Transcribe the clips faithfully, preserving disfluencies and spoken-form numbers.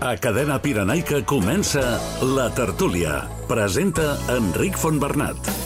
A Cadena Pirenaica comença La Tertúlia. Presenta Enric Fontbernat.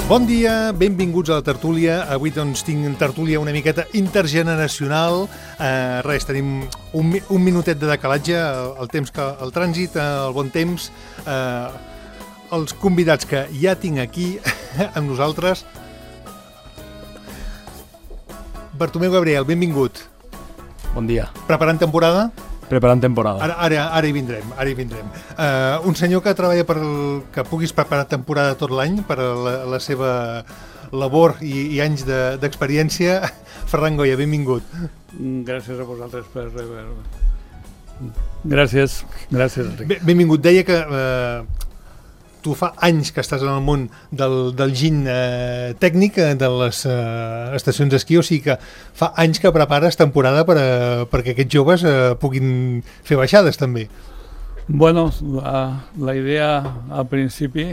Bon dia, benvinguts a la tertúlia. Avui doncs tinc tertúlia una miqueta intergeneracional. Eh, res, tenim un, un minutet de decalatge, el, el temps que el trànsit, el bon temps, eh, els convidats que ja tinc aquí amb nosaltres. Bartomeu Gabriel, benvingut. Bon dia. Preparant temporada? Preparant temporada. Ara, ara, ara hi vindrem, ara hi vindrem. Uh, un senyor que treballa per el, que puguis preparar temporada tot l'any per a la, la seva labor i, i anys d'experiència. De, Ferran Goya, benvingut. Gràcies a vosaltres per rebre-me. Gràcies, gràcies, Enric. Benvingut. Deia que uh, tu fa anys que estàs en el món del, del gin eh, tècnic de les eh, estacions d'esquí, o sigui que fa anys que prepares temporada per a, perquè aquests joves eh, puguin fer baixades també. Bueno, la, la idea al principi,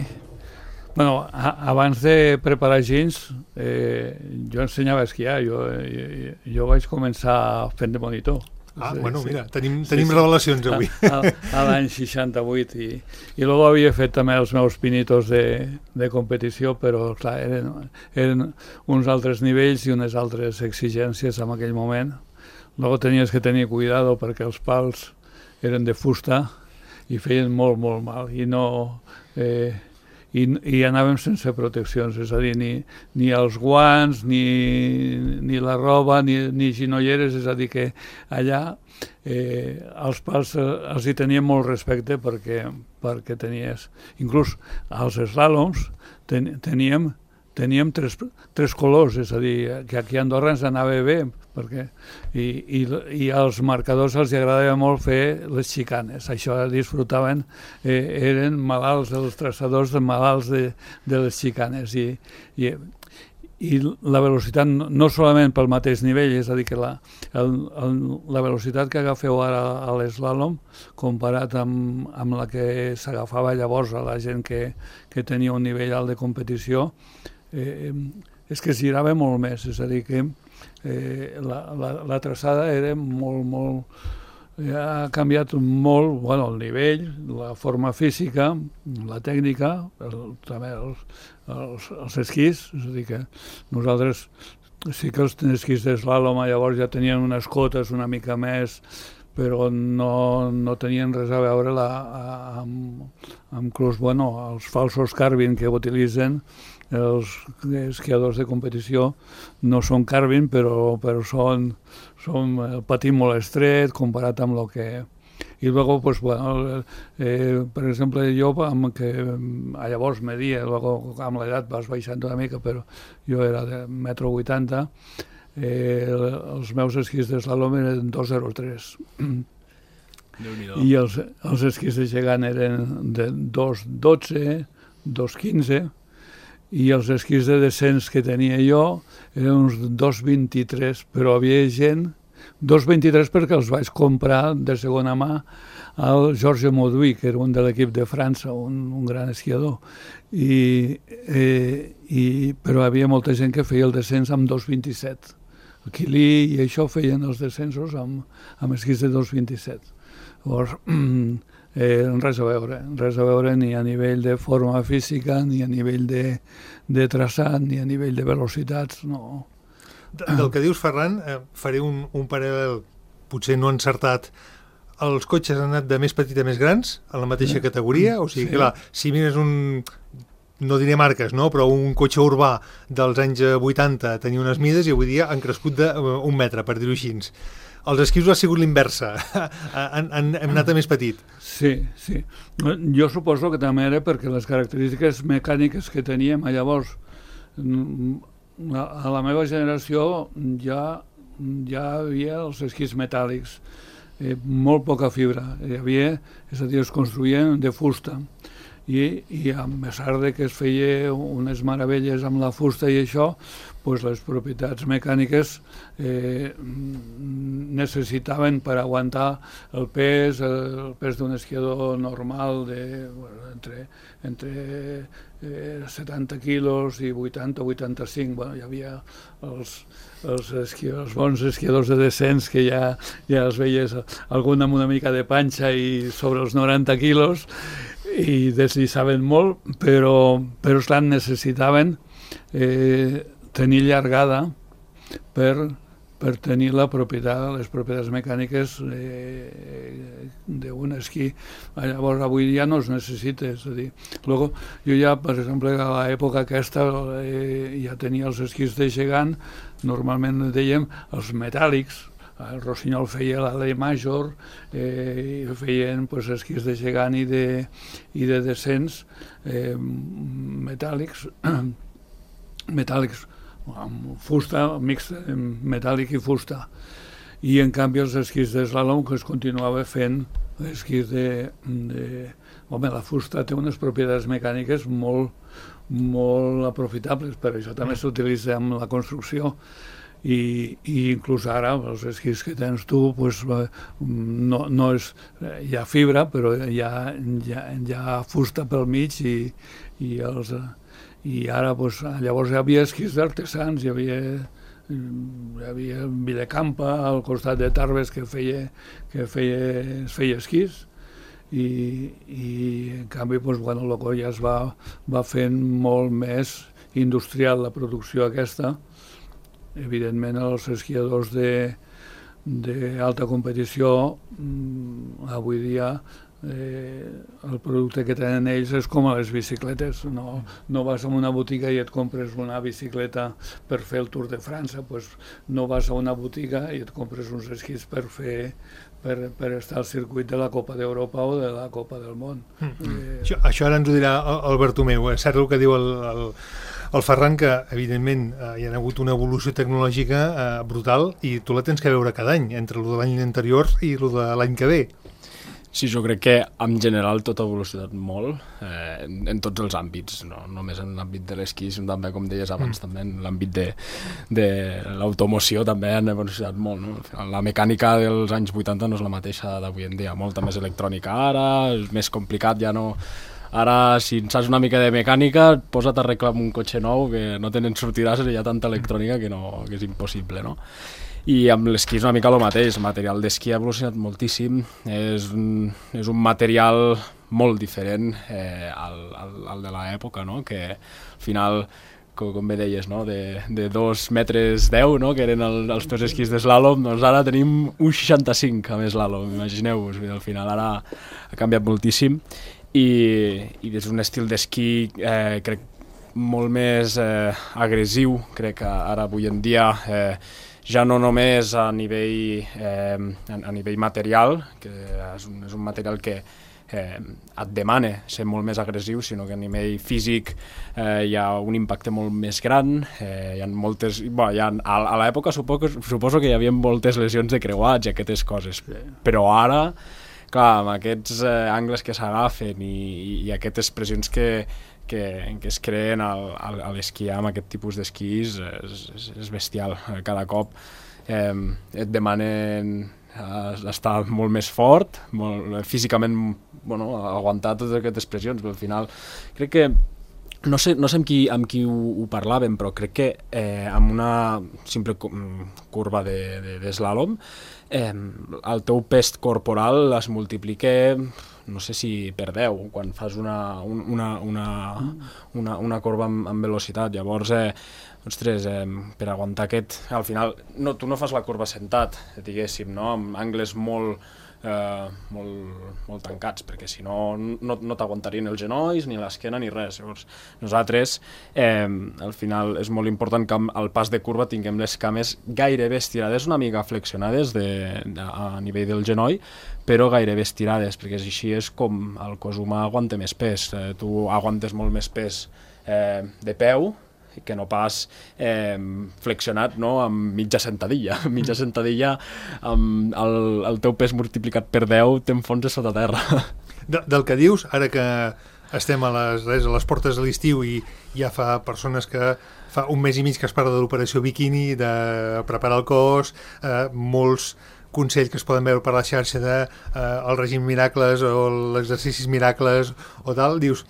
bueno, a, abans de preparar gins, eh, jo ensenyava a esquiar, jo, jo, jo vaig començar fent de monitor. Ah, sí, bueno, sí. Mira, tenim, tenim sí, sí. revelacions avui. A, a, a l'any seixanta-vuit i, i després havia fet també els meus pinitos de, de competició, però clar, eren, eren uns altres nivells i unes altres exigències en aquell moment. Després tenies que tenir cuidado perquè els pals eren de fusta i feien molt, molt mal i no... Eh, I, i anàvem sense proteccions, és a dir, ni, ni els guants, ni, ni la roba, ni, ni ginolleres, és a dir, que allà eh, els pals eh, els hi teníem molt respecte perquè, perquè tenies, inclús als eslàloms ten, teníem, teníem tres, tres colors, és a dir, que aquí a Andorra ens anava bé, perquè, i, i, i als marcadors els agradava molt fer les xicanes, això disfrutaven, eh, eren malalts, els traçadors de malalts de, de les xicanes, i, i, i la velocitat no solament pel mateix nivell, és a dir, que la, el, el, la velocitat que agafeu ara a l'eslàlom, comparat amb, amb la que s'agafava llavors a la gent que, que tenia un nivell alt de competició, eh, és que es girava molt més, és a dir, que Eh, la, la, la traçada era molt, molt... Eh, ha canviat molt, bueno, el nivell, la forma física, la tècnica, el, també els, els, els esquís, és a dir que nosaltres sí que els esquís d'eslàlom llavors ja tenien unes cotes una mica més, però no, no tenien res a veure la, amb, amb inclús, bueno, els falsos carbin que utilitzen els esquiadors de competició no són carbin, però, però són, són patí molt estret comparat amb el que... I després, pues, bueno, eh, per exemple, jo, amb que llavors media, luego, amb l'edat vas baixant una mica, però jo era de metro vuitanta, eh, els meus esquís d'eslàlom eren dos coma zero tres. I els, els esquís de gegant eren de dos coma dotze, dos coma quinze, i els esquís de descens que tenia jo eren uns dos coma vint-i-tres, però havia gent, dos coma vint-i-tres perquè els vaig comprar de segona mà al Georges Mauduit, que era un de l'equip de França, un, un gran esquiador, I, eh, i, però havia molta gent que feia el descens amb dos coma vint-i-set. El Quilí i això feien els descensos amb, amb esquís de dos coma vint-i-set. Llavors, Eh, res a veure, res a veure ni a nivell de forma física, ni a nivell de, de traçat, ni a nivell de velocitats, no. Del que dius, Ferran, eh, faré un, un paral·lel, potser no encertat. Els cotxes han anat de més petit a més grans, a la mateixa categoria, o sigui, sí. Clar, si mires un... no diré marques, no? Però un cotxe urbà dels anys vuitanta tenia unes mides i avui dia han crescut d'un metre, per dir-ho així. els esquís ha sigut l'inversa, han, han, hem anat a més petit. Sí, sí. Jo suposo que també era perquè les característiques mecàniques que teníem llavors, a la meva generació ja, ja havia els esquís metàl·lics, eh, molt poca fibra, hi havia, és a dir, es construïen de fusta. I, i a pesar de que es feia unes meravelles amb la fusta i això, pues les propietats mecàniques eh, necessitaven per aguantar el pes, el pes d'un esquiador normal de, bueno, entre, entre eh, setanta quilos i vuitanta o vuitanta-cinc. Bueno, hi havia els, els, esquiadors, els bons esquiadors de descens que ja, ja els veies algun amb una mica de panxa i sobre els noranta quilos, i desllissaven molt, però, però esclar, necessitaven eh, tenir llargada per, per tenir la propietat, les propietats mecàniques eh, d'un esquí. Llavors, avui ja no es necessita, és a dir, luego, jo ja, per exemple, a l'època aquesta eh, ja tenia els esquís de gegant, normalment dèiem els metàl·lics. El Rossinyol feia l'Ale Major, eh, i feien pues, esquís de gegant i de, i de descens eh, metàl·lics, metàl·lics amb fusta, mixta, metàl·lic i fusta. I en canvi els esquís d'eslalom que es continuava fent esquís de, de... Home, la fusta té unes propietats mecàniques molt, molt aprofitables, per això també s'utilitza en la construcció. I, i inclús ara els esquís que tens tu pues, no, no és, hi ha fibra però hi ha, hi ha, hi ha fusta pel mig i, i, els, i ara pues, llavors hi havia esquís d'artesans, hi havia, hi havia Villecampa al costat de Tarbes que feia, que feia, es feia esquís i, i en canvi pues, bueno, el ja es va, va fent molt més industrial la producció aquesta. Evidentment, els esquiadors d'alta competició, avui dia, eh, el producte que tenen ells és com a les bicicletes. No, no vas a una botiga i et compres una bicicleta per fer el Tour de França, pues no vas a una botiga i et compres uns esquís per fer per, per estar al circuit de la Copa d'Europa o de la Copa del Món. Mm. Eh... Això, això ara ens ho dirà el Bertomeu. És cert el que diu el... el... El Ferran, que evidentment eh, hi ha hagut una evolució tecnològica eh, brutal i tu la tens que veure cada any, entre el de l'any anterior i el de l'any que ve. Sí, jo crec que en general tot ha evolucionat molt eh, en, en tots els àmbits, no només en l'àmbit de l'esquí, sinó també, com deies abans, mm. també en l'àmbit de, de l'automoció també han evolucionat molt. No? La mecànica dels anys vuitanta no és la mateixa d'avui en dia, molta més electrònica ara, és més complicat, ja no... Ara, si en saps una mica de mecànica, posa't a arreglar un cotxe nou que no tenen sortides, hi ha tanta electrònica que, no, que és impossible, no? I amb l'esquí és una mica el mateix, el material d'esquí ha evolucionat moltíssim, és un, és un material molt diferent eh, al, al, al de l'època, no? Que al final, com, com bé deies, no? de, de dos metres deu, no? Que eren el, els teus esquís d'eslàlom, doncs ara tenim un seixanta-cinc amb eslàlom, imagineu-vos, al final ara ha canviat moltíssim. I, i és un estil d'esquí eh, crec molt més eh, agressiu, crec que ara avui en dia eh, ja no només a nivell, eh, a, a nivell material, que és un, és un material que eh, et demana ser molt més agressiu, sinó que a nivell físic eh, hi ha un impacte molt més gran, eh, hi ha moltes... Bueno, hi ha, a, a l'època suposo, suposo que hi havia moltes lesions de creuats i aquestes coses, però ara... Clar, amb aquests eh, angles que s'agafen i, i, i aquestes pressions que, que, que es creen al, al, a l'esquiar amb aquest tipus d'esquís és, és, és bestial. Cada cop eh, et demanen eh, estar molt més fort, molt, físicament bueno, aguantar totes aquestes pressions, però al final crec que no sé, no sé amb qui, amb qui ho, ho parlàvem, però crec que eh, amb una simple curva d'eslàlom de, de, Eh, el teu pes corporal es multiplica, no sé si per deu, quan fas una, una, una, una, una corba amb, amb velocitat. Llavors, eh, ostres, eh, per aguantar aquest... Al final, no, tu no fas la corba sentat, diguéssim, no? Amb angles molt, eh, molt, molt tancats, perquè si no no, no t'aguantarien els genolls, ni l'esquena, ni res. Llavors, nosaltres, eh, al final, és molt important que al pas de curva tinguem les cames gairebé estirades, una mica flexionades de, de, a nivell del genoll, però gairebé estirades, perquè així és com el cos humà aguanta més pes. Eh, tu aguantes molt més pes eh, de peu, que no pas eh, flexionat, no?, amb mitja sentadilla. Mitja sentadilla amb el, el teu pes multiplicat per deu t'enfonses sota terra. De, del que dius, ara que estem a les, res, a les portes de l'estiu i ja fa persones que fa un mes i mig que es parla de l'operació biquini, de preparar el cos, eh, molts consells que es poden veure per la xarxa de eh, el règim miracles o l'exercicis miracles o tal, dius...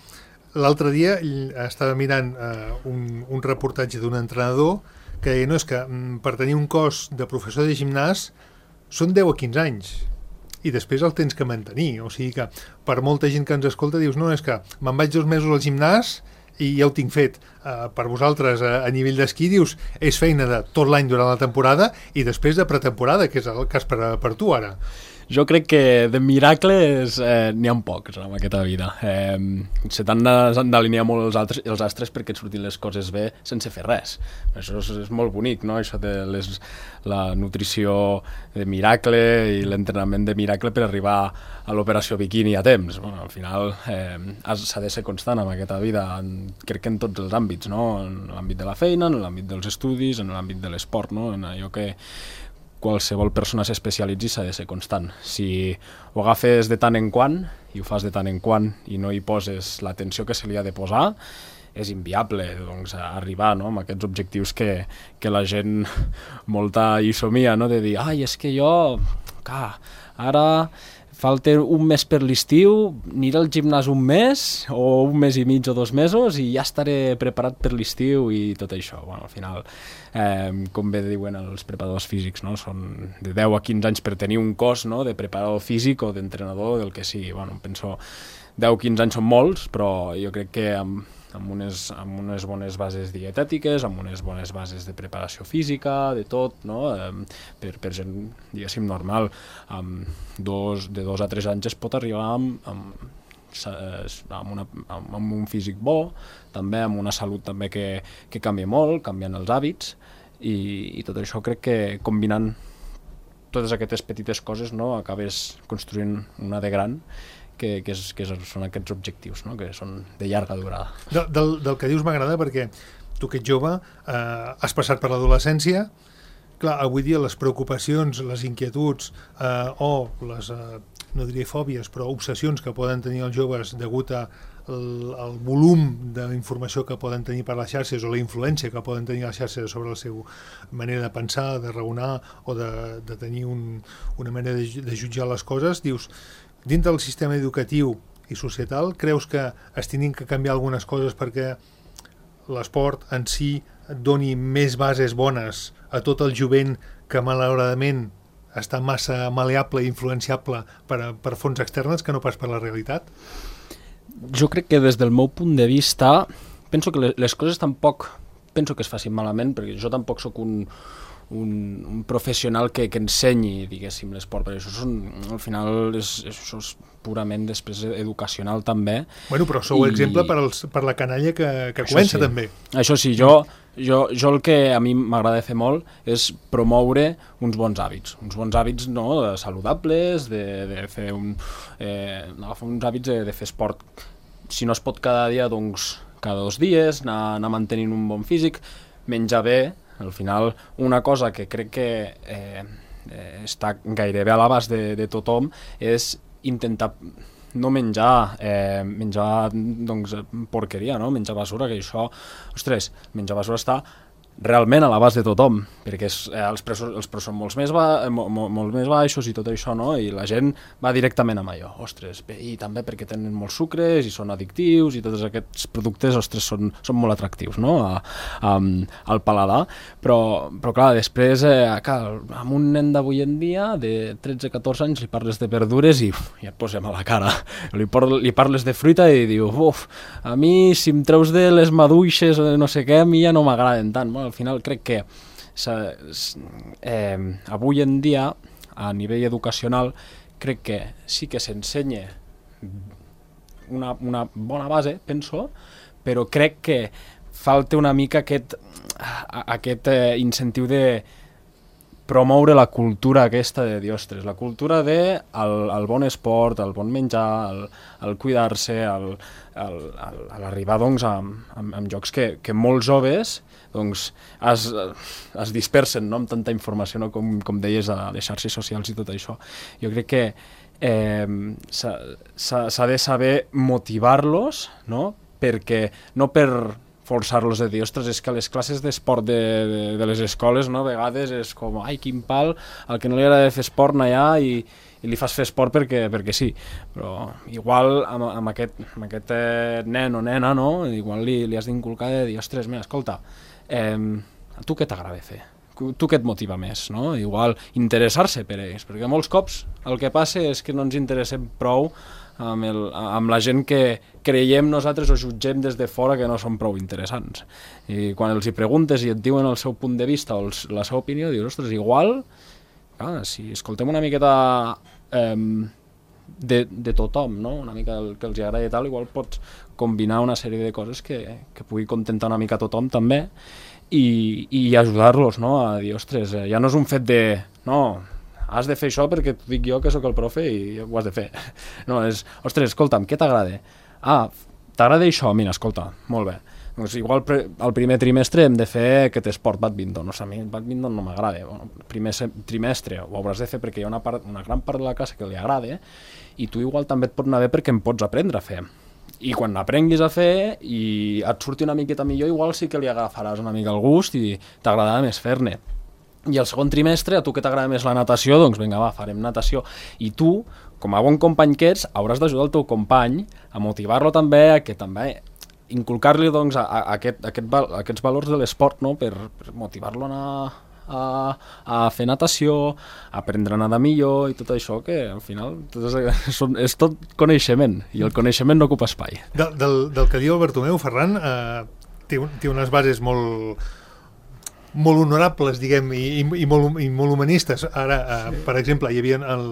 L'altre dia estava mirant eh, un, un reportatge d'un entrenador que deia, no, és que mm, per tenir un cos de professor de gimnàs són deu a quinze anys i després el tens que mantenir, o sigui que per molta gent que ens escolta dius, no, és que me'n vaig dos mesos al gimnàs i ja ho tinc fet. Uh, per vosaltres a, a nivell d'esquí dius, és feina de tot l'any durant la temporada i després de pretemporada, que és el cas per, per tu ara. Jo crec que de miracles eh, n'hi ha pocs en aquesta vida. Eh, se t'han d'alinear molt els, altres, els astres perquè et surtin les coses bé sense fer res. Això és, és molt bonic, no? Això de les, la nutrició de miracle i l'entrenament de miracle per arribar a l'operació biquini a temps. Bueno, al final eh, s'ha de ser constant en aquesta vida, en, crec que en tots els àmbits, no? En l'àmbit de la feina, en l'àmbit dels estudis, en l'àmbit de l'esport, no? En allò que qualsevol persona s'especialitzi s'ha de ser constant. Si ho agafes de tant en quant i ho fas de tant en quant i no hi poses l'atenció que se li ha de posar, és inviable, doncs, arribar, no?, amb aquests objectius que, que la gent molta hi somia, no?, de dir, ai, és que jo, clar, ara falta un mes per l'estiu, aniré al gimnàs un mes o un mes i mig o dos mesos i ja estaré preparat per l'estiu i tot això. Bueno, al final, eh, com bé diuen els preparadors físics, no?, són de deu a quinze anys per tenir un cos, no?, de preparador físic o d'entrenador, del que sigui. Bueno, penso deu a quinze anys són molts, però jo crec que amb, amb, unes, amb unes bones bases dietètiques, amb unes bones bases de preparació física, de tot, no?, eh, per, per gent, diguéssim, normal, amb dos, de dos a tres anys es pot arribar amb, amb, amb, una, amb un físic bo, també amb una salut també que, que canvia molt, canviant els hàbits, i, i tot això crec que combinant totes aquestes petites coses, no?, acabes construint una de gran, que, que, és, que són aquests objectius, no?, que són de llarga durada. De, del, del que dius m'agrada perquè tu que ets jove eh, has passat per l'adolescència, clar, avui dia les preocupacions, les inquietuds eh, o les, eh, no diria fòbies, però obsessions que poden tenir els joves degut a el, el volum d'informació que poden tenir per les xarxes o la influència que poden tenir les xarxes sobre la seva manera de pensar, de raonar o de, de tenir un, una manera de, de jutjar les coses, dius, dintre del sistema educatiu i societal, creus que es tenen que canviar algunes coses perquè l'esport en si doni més bases bones a tot el jovent que malauradament està massa maleable i influenciable per, a, per fonts externes que no pas per la realitat? Jo crec que des del meu punt de vista penso que les coses tampoc penso que es facin malament, perquè jo tampoc sóc un Un, un professional que, que ensenyi, diguéssim, l'esport, perquè això són, al final és, això és purament després educacional també. Bueno, però sou I... exemple per, els, per la canalla que, que comença sí. també. Això sí, jo, jo, jo el que a mi m'agrada fer molt és promoure uns bons hàbits, uns bons hàbits no, saludables, de, de fer un, eh, agafar uns hàbits de, de fer esport, si no es pot cada dia, doncs cada dos dies, anar, anar mantenint un bon físic, menjar bé. Al final, una cosa que crec que eh, eh, està gairebé a l'abast de, de tothom és intentar no menjar, eh, menjar doncs, porqueria, no? Menjar basura, que això, ostres, menjar basura està realment a l'abast de tothom, perquè és, eh, els, preus, els preus són molt més, ba, mo, mo, molt més baixos i tot això, no? I la gent va directament amb allò, ostres, bé, i també perquè tenen molts sucres i són addictius i tots aquests productes, ostres, són, són molt atractius, no? A, a, al paladar, però, però clar, després, eh, clar, amb un nen d'avui en dia, de tretze a catorze anys, li parles de verdures i uf, ja et posem a la cara, li, por, li parles de fruita i diu, uf, a mi si em treus de les maduixes o no sé què, a mi ja no m'agraden tant, bueno, al final crec que eh, avui en dia a nivell educacional crec que sí que s'ensenya una, una bona base, penso, però crec que falta una mica aquest, aquest eh, incentiu de promoure la cultura aquesta de dir, ostres, la cultura de el, el bon esport, el bon menjar, el, el cuidar-se, el, el, el, l'arribar doncs, a, a, a jocs que, que molts joves doncs, es, es dispersen, no?, amb tanta informació, no?, com, com deies, a les xarxes socials i tot això. Jo crec que eh, s'ha de saber motivar-los, no?, perquè no per forçar-los a dir, ostres, és que les classes d'esport de, de, de les escoles, no?, a vegades és com, ai, quin pal, al que no li agrada fer esport anar allà i, i li fas fer esport perquè, perquè sí. Però igual amb, amb aquest, amb aquest eh, nen o nena, no?, igual li, li has d'inculcar de dir, ostres, mira, escolta, eh, a tu què t'agrada fer? Tu què et motiva més, no? Igual interessar-se per ells, perquè molts cops el que passa és que no ens interessem prou amb, el, amb la gent que creiem nosaltres o jutgem des de fora que no són prou interessants. I quan els hi preguntes i et diuen el seu punt de vista o els, la seva opinió, dius, ostres, igual, clar, si escoltem una miqueta eh, de, de tothom, no?, una mica el que els agrada i tal, igual pots combinar una sèrie de coses que, que pugui contentar una mica tothom també i, i ajudar-los, no?, a dir, ostres, ja no és un fet de, no, has de fer això perquè t'ho dic jo que sóc el profe i ho has de fer. No, és, ostres, escolta'm, què t'agrada? Ah, t'agrada això? Mira, escolta, molt bé. Doncs igual pre, el primer trimestre hem de fer aquest esport badminton. O sigui, a mi el badminton no m'agrada. Bueno, el primer trimestre ho hauràs de fer perquè hi ha una, part, una gran part de la classe que li agrada i tu igual també et pot anar bé perquè em pots aprendre a fer. I quan l'aprenguis a fer i et surti una miqueta millor, igual sí que li agafaràs una mica el gust i t'agradarà més fer-ne. I el segon trimestre, a tu que t'agrada més la natació, doncs vinga, va, farem natació. I tu, com a bon company que ets, hauràs d'ajudar el teu company a motivar-lo també, a que també inculcar-li doncs, a, a, aquest, a aquest, a aquests valors de l'esport, no?, per, per motivar-lo a anar a, a fer natació, a aprendre a nedar millor i tot això, que al final tot és, són, és tot coneixement, i el coneixement no ocupa espai. Del, del, del que diu el Bartomeu, Ferran, eh, té, té unes bases molt... molt honorables, diguem, i, i, i, molt, i molt humanistes. Ara, eh, per exemple, hi havia, el,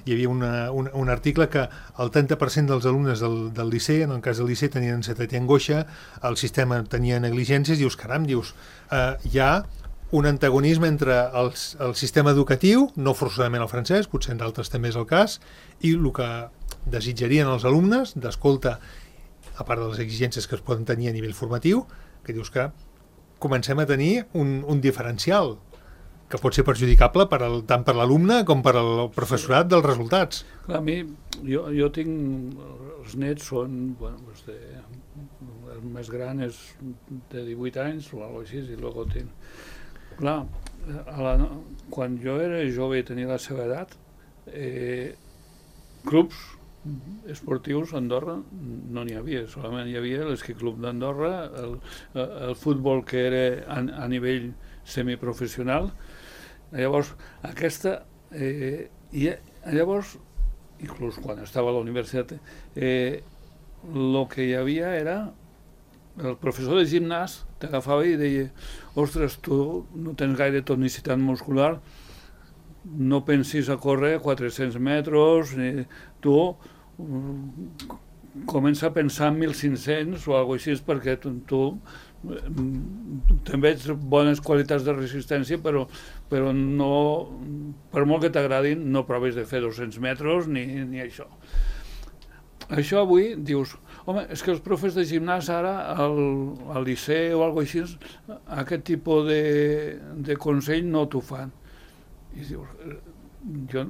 hi havia una, un, un article que el trenta per cent dels alumnes del, del liceu, en el cas del liceu, tenien ansietat i angoixa, el sistema tenia negligències, dius, caram, dius, eh, hi ha un antagonisme entre el, el sistema educatiu, no forçosament el francès, potser en d'altres també és el cas, i el que desitjarien els alumnes, d'escolta, a part de les exigències que es poden tenir a nivell formatiu, que dius que comencem a tenir un, un diferencial que pot ser perjudicable per al, tant per l'alumne com per al professorat dels resultats. Clar, a mi, jo, jo tinc, els nets són, bueno, pues de, el més gran és de divuit anys o alguna cosa així, i luego tinc... Clar, a la, quan jo era jove i tenia la seva edat, eh, clubs esportius a Andorra no n'hi havia, solament hi havia l'esquí club d'Andorra, el, el futbol que era a, a nivell semiprofessional. Llavors, aquesta... Eh, i llavors, inclús quan estava a la universitat, eh, el que hi havia era el professor de gimnàs t'agafava i deia, ostres, tu no tens gaire tonicitat muscular, no pensis a córrer quatre-cents metres, ni, tu um, comença a pensar en mil cinc-cents o alguna cosa així, perquè tu, tu també ets bones qualitats de resistència, però, però no, per molt que t'agradin, no proves de fer dos-cents metres ni, ni això. Això avui dius, home, és que els profes de gimnàs ara al, al liceu o alguna cosa així, aquest tipus de, de consell no t'ho fan. I dius, jo,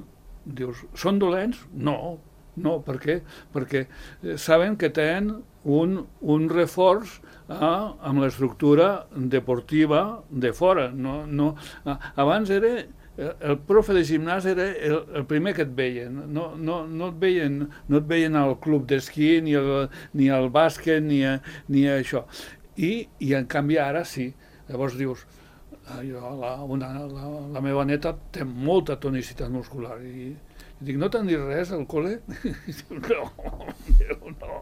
dius, són dolents? No, no, per què? Perquè saben que tenen un, un reforç ah, amb l'estructura deportiva de fora. No, no, ah, abans era, el profe de gimnàs era el, el primer que et veien, no, no, no, et veien, no et veien al club d'esquí, ni, el, ni al bàsquet, ni, a, ni a això. I, I en canvi ara sí, llavors dius, jo, la, una, la, la meva neta té molta tonicitat muscular i, i dic, no t'han dit res al col·le? I diu, no, no,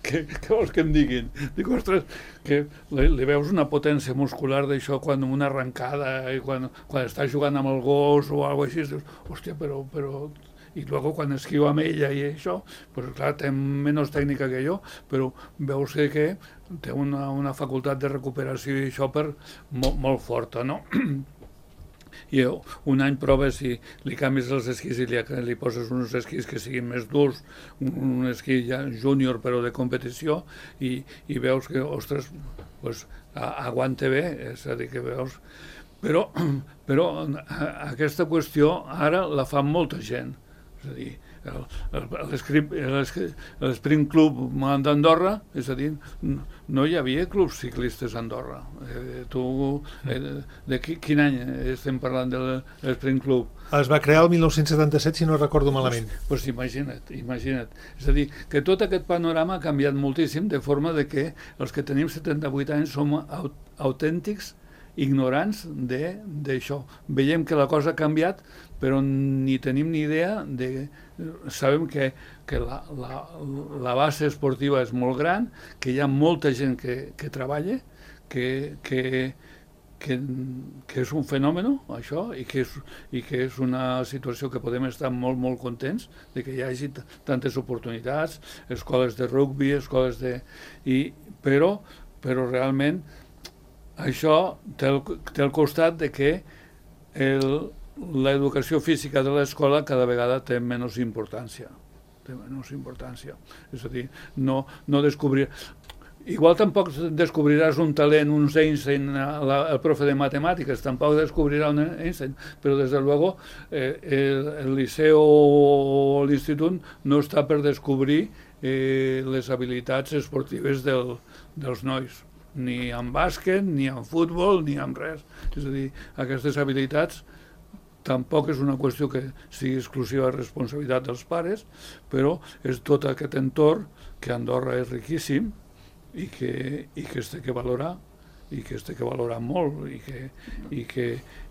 què, què vols que em diguin? Dic, ostres, que li, li veus una potència muscular d'això quan una arrencada i quan, quan està jugant amb el gos o alguna cosa així, dius, hòstia, però, però... i luego quan esquiu amb ella i això, pues clar, té menys tècnica que jo, però veus que, que té una, una facultat de recuperació i això per molt, molt forta, no? I un any proves si li canvis els esquís i li, li poses uns esquís que siguin més durs, un, un esquí ja júnior però de competició, i, i veus que, ostres, pues, aguanta bé, és a dir, que veus... Però, però aquesta qüestió ara la fa molta gent, és a dir, l'Sprint Club d'Andorra, és a dir, no hi havia clubs ciclistes a Andorra. Eh, tu, eh, de qui, quin any estem parlant de l'Sprint Club? Es va crear el mil nou-cents setanta-set, si no recordo malament. Doncs pues, pues imagina't, imagina't. És a dir, que tot aquest panorama ha canviat moltíssim, de forma de que els que tenim setanta-vuit anys som autèntics ignorants d'això. Veiem que la cosa ha canviat, però ni tenim ni idea de... Sabem que, que la, la, la base esportiva és molt gran, que hi ha molta gent que, que treballa, que, que, que, que és un fenomen, això, i que, és, i que és una situació que podem estar molt, molt contents de que hi hagi tantes oportunitats, escoles de rugby, escoles de... I, però, però realment això té el, té el costat de que l'educació física de l'escola cada vegada té menys importància. Té menys importància. És a dir, no, no descobrir... Igual tampoc descobriràs un talent, un Einstein, la, el profe de matemàtiques, tampoc descobrirà un Einstein, però des de luego eh, el, el liceu o l'institut no està per descobrir eh, les habilitats esportives del, dels nois, ni en bàsquet, ni en futbol, ni en res. És a dir, aquestes habilitats tampoc és una qüestió que sigui exclusiva responsabilitat dels pares, però és tot aquest entorn que Andorra és riquíssim i que, i que es té que valorar, i que es té que valorar molt, i que, i que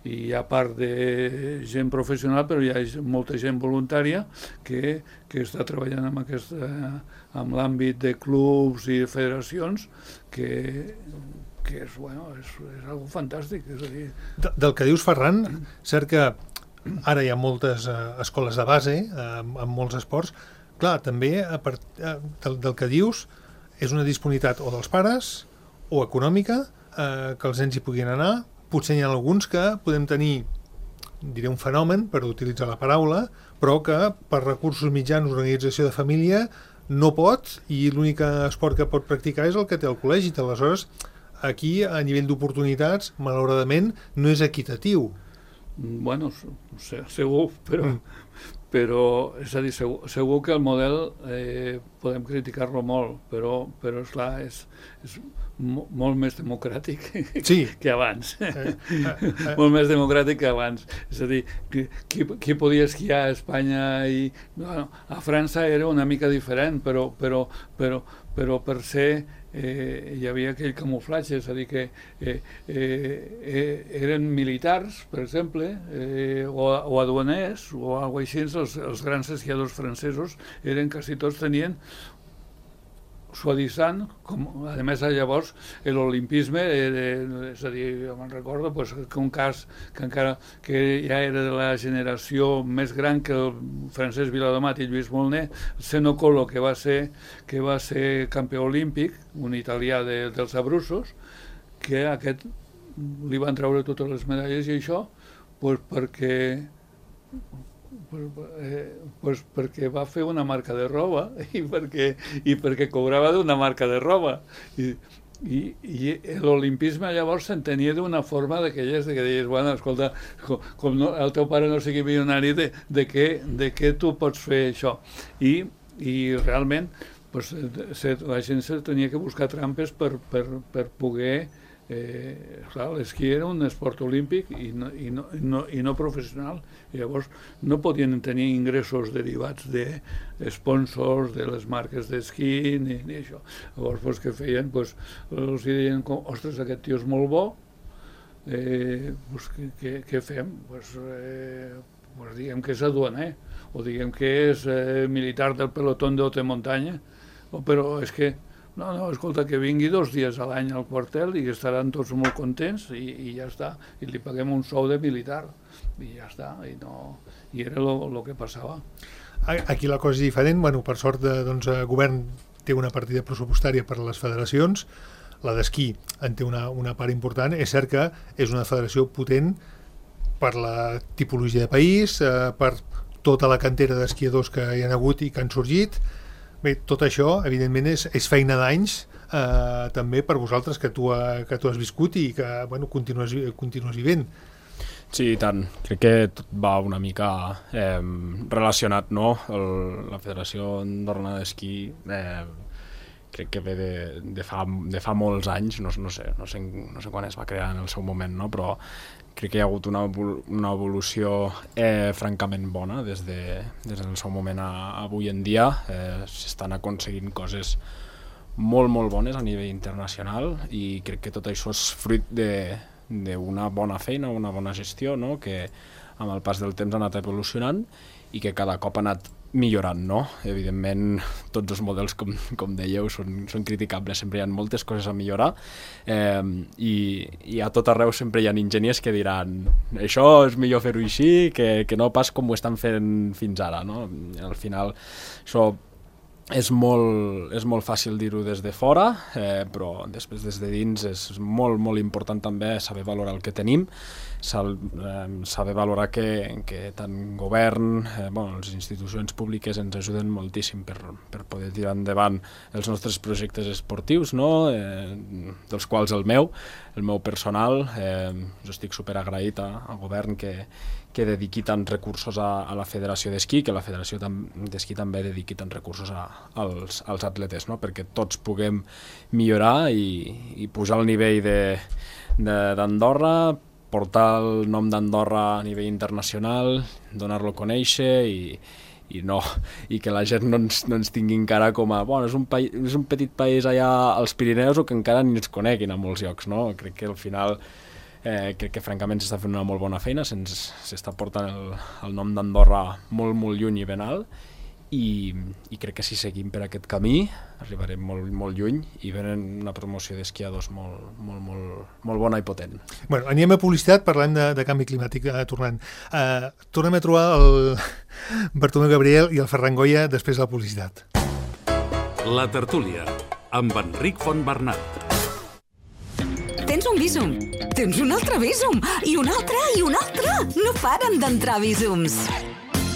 i hi ha part de gent professional, però hi ha molta gent voluntària que, que està treballant amb, aquesta, amb l'àmbit de clubs i federacions, que, que és, bueno, és, és algo fantàstic. És a dir... De, del que dius, Ferran, cert que ara hi ha moltes eh, escoles de base eh, amb, amb molts esports. Clar, també a part, eh, del, del que dius és una disponibilitat o dels pares o econòmica, eh, que els nens hi puguin anar. Potser hi ha alguns que podem tenir, diré un fenomen, per utilitzar la paraula, però que per recursos mitjans, organització de família, no pot, i l'únic esport que pot practicar és el que té al col·legi. Aleshores, aquí, a nivell d'oportunitats, malauradament, no és equitatiu. Bueno, segur, però, mm. però és a dir, segur, segur que el model eh, podem criticar-lo molt, però, però esclar, és, és molt més democràtic sí. que abans. Eh, eh, eh. Molt més democràtic que abans. És a dir, qui, qui podia esquiar a Espanya i... Bueno, a França era una mica diferent, però, però, però, però per ser... Eh, hi havia aquell camuflatge, és a dir, que eh, eh, eren militars, per exemple, eh, o, o aduaners, o alguna cosa així, els, els grans esquiadors francesos eren, quasi tots tenien suavitzant, com, a més llavors l'olimpisme, eh, és a dir, me'n recordo pues, que un cas que encara que ja era de la generació més gran que el Francesc Viladomat i Lluís Molner, Seno Collo, que va ser, que va ser campió olímpic, un italià de, dels Abruzos, que aquest li van treure totes les medalles i això pues, perquè Pues, eh, pues perquè va fer una marca de roba i perquè, i perquè cobrava d'una marca de roba i, i, i l'olimpisme llavors s'entenia d'una forma d'aquelles de que deies, bueno, escolta, com, com no, el teu pare no sigui milionari, de, de, què, de què tu pots fer això? I, i realment pues, se, la gent se tenia que buscar trampes per, per, per poder... Eh, clar, l'esquí era un esport olímpic i no, i, no, i, no, i no professional, i llavors no podien tenir ingressos derivats de sponsors de les marques d'esquí ni, ni això. Llavors pues, què feien? Pues, els deien, ostres, aquest tio és molt bo, eh, pues, què, què fem? Pues, eh, pues, diguem que és aduaner, o diguem que és eh, militar del pelotón de haute muntanya, o, però és que No, no, escolta, que vingui dos dies a l'any al quartel i que estaran tots molt contents i, i ja està. I li paguem un sou de militar i ja està. I, no, i era el que passava. Aquí la cosa és diferent. Bueno, per sort, doncs, el govern té una partida pressupostària per a les federacions. La d'esquí en té una, una part important. És cert que és una federació potent per la tipologia de país, eh, per tota la cantera d'esquiadors que hi ha hagut i que han sorgit. Bé, tot això, evidentment, és, és feina d'anys eh, també per vosaltres que tu, ha, que tu has viscut i que bueno, continues, continues vivint. Sí, i tant. Crec que tot va una mica eh, relacionat, no? El, la Federació Andorrana d'Esquí eh, crec que ve de, de, fa, de fa molts anys, no, no, sé, no, sé, no sé quan es va crear en el seu moment, no? Però crec que hi ha hagut una, una evolució eh, francament bona des, de, des del seu moment a, a avui en dia. Eh, s'estan aconseguint coses molt, molt bones a nivell internacional i crec que tot això és fruit d'una bona feina, una bona gestió, no? Que amb el pas del temps ha anat evolucionant i que cada cop ha anat millorant, no? Evidentment, tots els models, com, com dèieu, són, són criticables, sempre hi ha moltes coses a millorar eh, i, i a tot arreu sempre hi ha enginyers que diran això és millor fer-ho així que, que no pas com ho estan fent fins ara, no? Al final, això és molt, és molt fàcil dir-ho des de fora, eh, però després des de dins és molt, molt important també saber valorar el que tenim, saber valorar que, que tant govern, eh, bueno, les institucions públiques ens ajuden moltíssim per, per poder tirar endavant els nostres projectes esportius, no? eh, dels quals el meu, el meu personal, eh, jo estic superagraït al govern que, que dediqui tants recursos a, a la Federació d'Esquí, que la Federació d'Esquí també dediqui tants recursos a, als, als atletes, no? Perquè tots puguem millorar i, i pujar el nivell d'Andorra, portar el nom d'Andorra a nivell internacional, donar-lo a conèixer i, i, no, i que la gent no ens, no ens tingui encara com a bueno, és un, país, és un petit país allà als Pirineus o que encara ni ens coneguin a molts llocs, no? Crec que al final eh, crec que francament s'està fent una molt bona feina, s'està portant el, el nom d'Andorra molt, molt lluny i ben alt. I, i crec que si seguim per aquest camí arribarem molt, molt lluny i venen una promoció d'esquiadors molt, molt, molt, molt bona i potent. Bueno, anem a publicitat, parlant de, de canvi climàtic, eh, tornant. Eh, tornem a trobar el Bartomeu Gabriel i el Ferran Goya després de la publicitat. La tertúlia, amb Enric Fontbernat. Tens un Bizum, tens un altre Bizum, i un altre, i un altre. No paren d'entrar Bizums.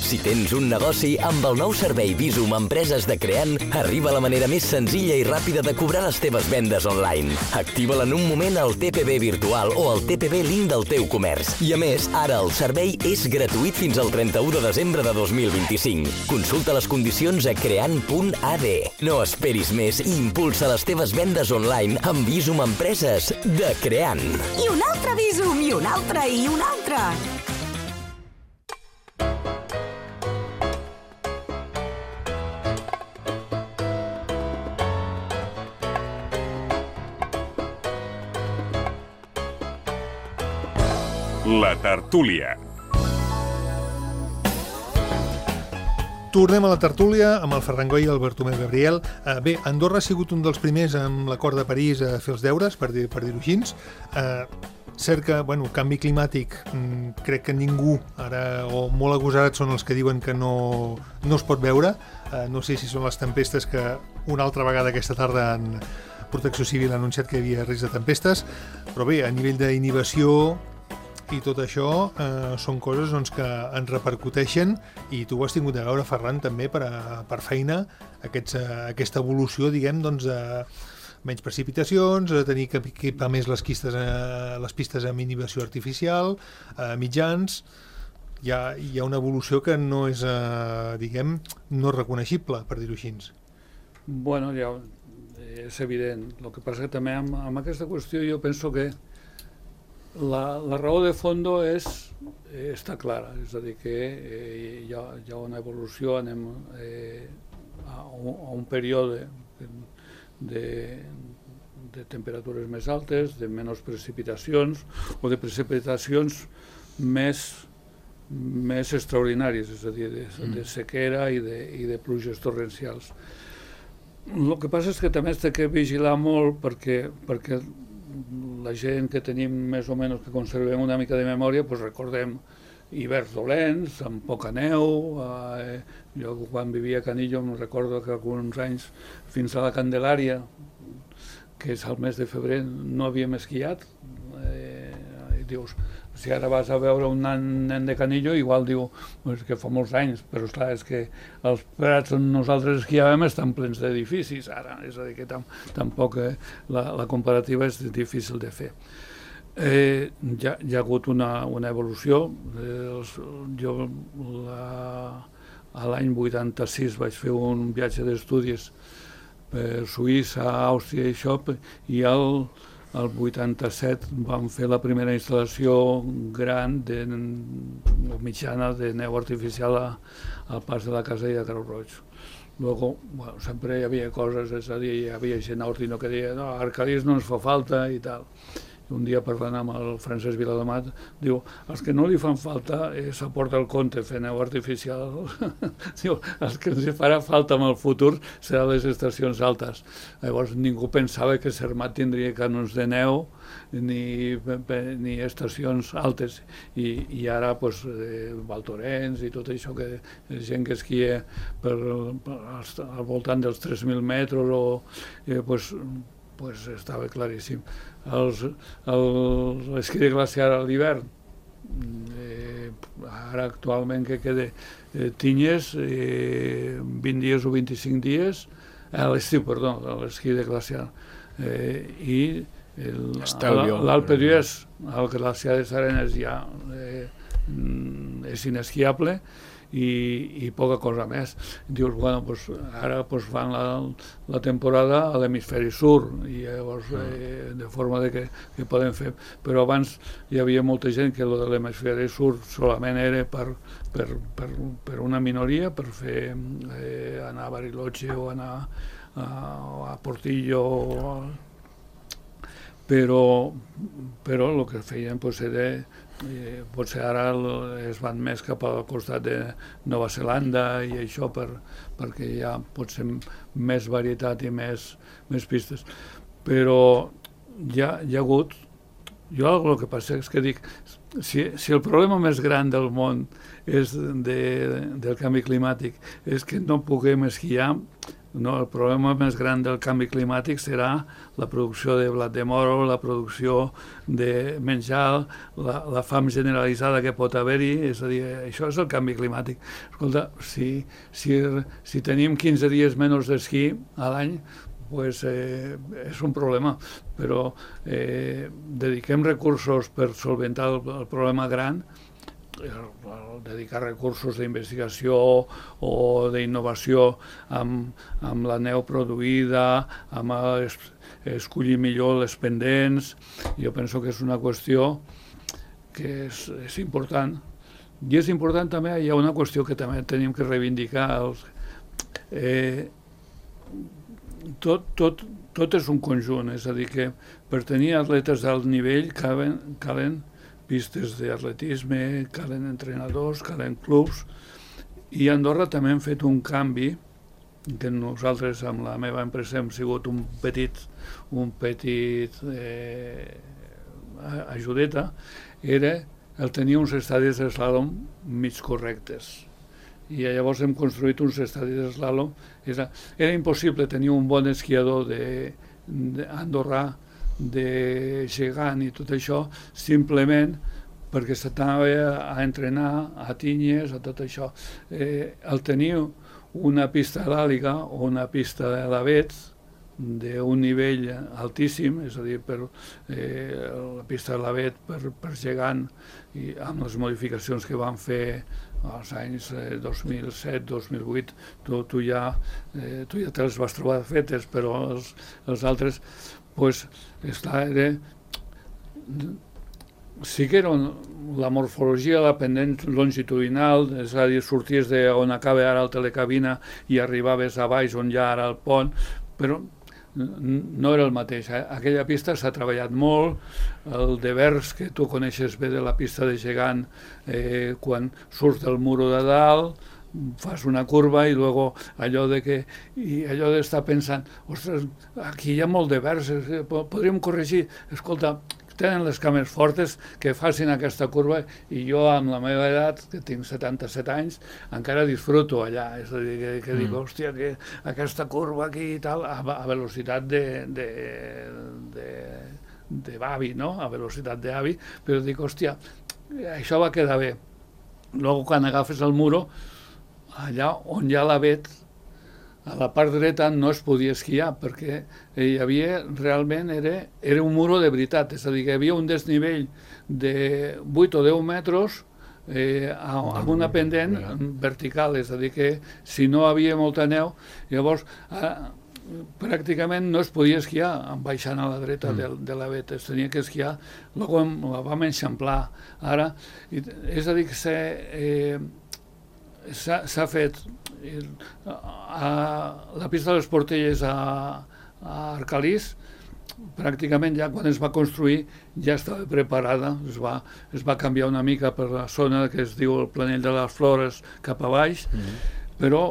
Si tens un negoci, amb el nou servei Bizum Empreses de Creant, arriba la manera més senzilla i ràpida de cobrar les teves vendes online. Activa-la en un moment al T P B virtual o al T P B link del teu comerç. I a més, ara el servei és gratuït fins al trenta-u de desembre de dos mil vint-i-cinc. Consulta les condicions a creant punt a d. No esperis més i impulsa les teves vendes online amb Bizum Empreses de Creant. I un altre Bizum, i un altre, i un altre. La tertúlia. Tornem a la tertúlia amb el Ferran Goya i el Bartomeu Gabriel. Eh, bé, Andorra ha sigut un dels primers amb l'Acord de París a fer els deures, per dir, per dir-ho així. Eh, cert que, bueno, canvi climàtic, mm, crec que ningú, ara, o molt agosarats són els que diuen que no, no es pot veure. Eh, no sé si són les tempestes que una altra vegada aquesta tarda en Protecció Civil ha anunciat que hi havia risc de tempestes, però bé, a nivell d'inhibició i tot això eh, són coses doncs, que ens repercuteixen i tu ho has tingut a veure, Ferran, també per, a, per feina, aquests, a, aquesta evolució, diguem, doncs, de menys precipitacions, de tenir que equipar més les, quistes, eh, les pistes amb inhibició artificial, eh, mitjans. Hi ha, hi ha una evolució que no és, eh, diguem, no reconeixible, per dir-ho així. Bueno, ja és evident. El que passa que també amb, amb aquesta qüestió jo penso que La, la raó de fondo és, eh, està clara, és a dir, que eh, hi, ha, hi ha una evolució, anem eh, a, un, a un període de, de temperatures més altes, de menys precipitacions o de precipitacions més, més extraordinàries, és a dir, de, de sequera i de, i de pluges torrencials. el que passa és que també s'ha de vigilar molt perquè, perquè la gent que tenim més o menys que conservem una mica de memòria, pues recordem hiverns dolents, amb poca neu. Eh, jo quan vivia a Canillo em recordo que alguns anys fins a la Candelària, que és al mes de febrer, no havíem esquiat. Eh, i dius, si ara vas a veure un nen de Canillo, igual diu pues, que fa molts anys, però esclar, és que els prats on nosaltres esquiàvem estan plens d'edificis ara, és a dir, que tam, tampoc eh, la, la comparativa és difícil de fer. Eh, ja, hi ha hagut una, una evolució. Eh, els, jo la, a l'any vuitanta-sis vaig fer un viatge d'estudis per Suïssa, Àustria i això, i el el vuitanta-set vam fer la primera instal·lació gran de, o mitjana de neu artificial a, al pas de la Casella de Creu Roig. Luego, bueno, sempre hi havia coses, és a dir, hi havia gent a Ortino que deia no, Arcadis no ens fa falta i tal. I un dia parlant amb el Francesc Viladomat, diu, els que no li fan falta eh, s'aporta el compte fer neu artificial. Diu, els que ens farà falta en el futur seran les estacions altes. Llavors ningú pensava que Cermat tindria canons de neu ni, ni estacions altes. I, i ara, pues, eh, Val Thorens i tot això, que és gent que esquia per, per, al voltant dels tres mil metres, o, eh, pues, pues estava claríssim. L'esquí de glaciar a l'hivern, eh, ara actualment que queda eh, Tinyes, eh, vint dies o vint-i-cinc dies, a l'estiu, perdó, l'esquí de glaciar, eh, i l'Alpe d'Huez, el glaciar de Sarenes ja eh, és inesquiable, I, i poca cosa més. Dius, bueno, pues, ara pues, fan la, la temporada a l'hemisferi sur i llavors eh, de forma de que, que poden fer, però abans hi havia molta gent que lo de l'hemisferi sur solament era per, per, per, per una minoria, per fer eh, anar a Bariloche o anar a, a Portillo, però però el que feien pues, era Eh, potser ara es van més cap al costat de Nova Zelanda i això per, perquè hi ha potser més varietat i més, més pistes, però hi ha, hi ha hagut, jo el que passa és que dic, si, si el problema més gran del món és de, del canvi climàtic és que no puguem esquiar, no, el problema més gran del canvi climàtic serà la producció de blat de moro, la producció de menjar, la, la fam generalitzada que pot haver-hi, és a dir, això és el canvi climàtic. Escolta, si, si, si tenim quinze dies menys d'esquí a l'any, pues, eh, és un problema, però eh, dediquem recursos per solventar el, el problema gran, dedicar recursos d'investigació o d'innovació amb, amb la neu produïda, amb es, escollir millor les pendents. Jo penso que és una qüestió que és, és important. I és important també, hi ha una qüestió que també tenim que reivindicar. Els, eh, tot, tot, tot és un conjunt, és a dir, que per tenir atletes d'alt nivell calen, calen pistes d'atletisme, calen entrenadors, calen clubs, i a Andorra també hem fet un canvi, que nosaltres amb la meva empresa hem sigut un petit, un petit eh, ajudeta, era el tenir uns estadis d'eslàlom mig correctes. I llavors hem construït uns estadis d'eslàlom. Era, era impossible tenir un bon esquiador de, de andorrà, de gegant i tot això, simplement perquè s'anava a entrenar a Tinyes, a tot això. Eh, el tenir una pista d'àliga o una pista de l'Avets d'un nivell altíssim, és a dir, per, eh, la pista de l'Avet per, per gegant, i amb les modificacions que van fer als anys eh, dos mil set dos mil vuit, tu, tu, ja, eh, tu ja te les vas trobar fetes, però els, els altres pues, està, era, sí que era un, la morfologia, la pendent longitudinal, és a dir, sorties d'on acaba ara el telecabina i arribaves a baix on hi ha ara el pont, però no era el mateix. Aquella pista s'ha treballat molt, el devers que tu coneixes bé de la pista de gegant, eh, quan surts del muro de dalt, fas una curva i luego allò de que i allò d'estar pensant, ostres, aquí hi ha molt de verges, podríem corregir, escolta, tenen les cames fortes que facin aquesta curva i jo amb la meva edat, que tinc setanta-set anys, encara disfruto allà, és a dir, que, que mm. dic, hòstia, que aquesta curva aquí i tal, a, a velocitat de, de, de, de avi, no? A velocitat d'avi, però dic, hòstia, això va quedar bé. Luego, quan agafes el muro, allà on hi ha l'avet, a la part dreta no es podia esquiar, perquè hi havia, realment, era, era un muro de veritat, és a dir, que hi havia un desnivell de vuit o deu metres eh, amb una pendent vertical, és a dir, que si no havia molta neu, llavors eh, pràcticament no es podia esquiar baixant a la dreta mm. de, de l'avet, es tenia que esquiar, luego la vam enxamplar ara, és a dir, que s'ha eh, s'ha fet a la pista de les Portelles a, a Arcalís, pràcticament ja quan es va construir ja estava preparada, es va, es va canviar una mica per la zona que es diu el Planell de les Flores cap a baix, mm-hmm. però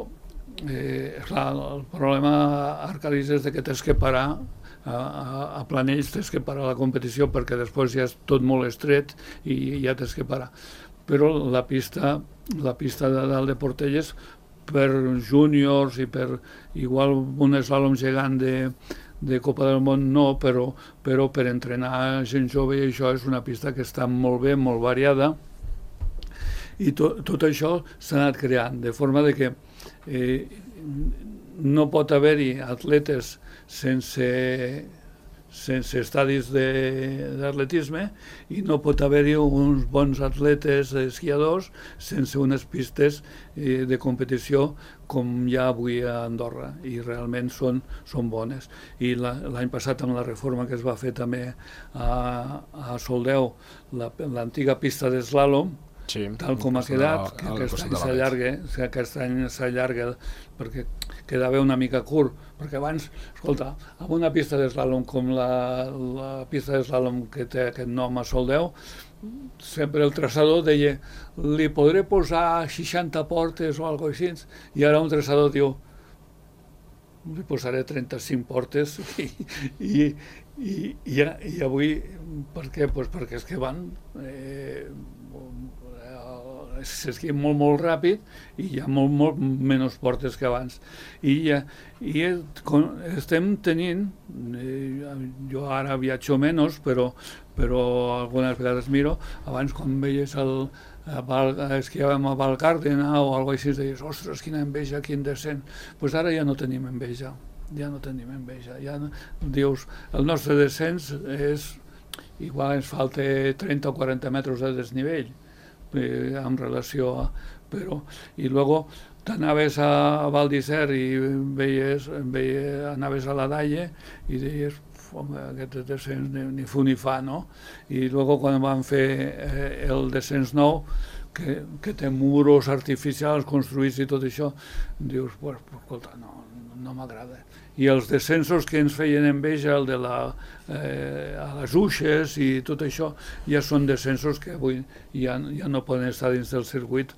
eh, clar, el problema a Arcalís és que tens que parar a, a, a Planells, tens que parar la competició perquè després ja és tot molt estret i ja tens que parar. Però la pista, la pista de dalt de Portelles per júniors i per igual un eslàlom gegant de, de Copa del Món no, però, però per entrenar gent jove i això és una pista que està molt bé, molt variada i to, tot això s'ha anat creant, de forma de que eh, no pot haver-hi atletes sense... sense estadis d'atletisme i no pot haver-hi uns bons atletes esquiadors sense unes pistes eh, de competició com hi ha avui a Andorra i realment són, són bones. I l'any passat amb la reforma que es va fer també a, a Soldeu, l'antiga la, pista d'eslàlom, sí, tal com ha quedat, que aquest any s'allarga, que aquest any s'allarga perquè quedava una mica curt, perquè abans, escolta, amb una pista d'eslàlom com la, la pista d'eslàlom que té aquest nom a Soldeu, sempre el traçador deia, li podré posar seixanta portes o alguna cosa així, i ara un traçador diu, li posaré trenta-cinc portes i, i, i, i, i avui, per què? Pues perquè és que van... Eh, s'esquia molt, molt ràpid i hi ha molt, molt menys portes que abans. I, i estem tenint, eh, jo ara viatjo menys, però, però algunes vegades miro, abans quan veies el, esquiàvem a Valgàrdena o alguna cosa així, deies, ostres, quina enveja, quin descens. Doncs pues ara ja no tenim enveja, ja no tenim enveja. Ja no, dius, el nostre descens és, igual ens falta trenta o quaranta metres de desnivell, Eh, en relació a... Però, i luego t'anaves a Val d'Isern i veies, veies, anaves a la Dalle i deies, home, aquest descens ni, ni fu ni fa, no? I luego quan van fer eh, el descens nou, que, que té muros artificials construïts i tot això, dius, pues, escolta, no, no m'agrada. I els descensos que ens feien enveja, el de la, eh, a les Uixes i tot això, ja són descensos que avui ja, ja no poden estar dins del circuit,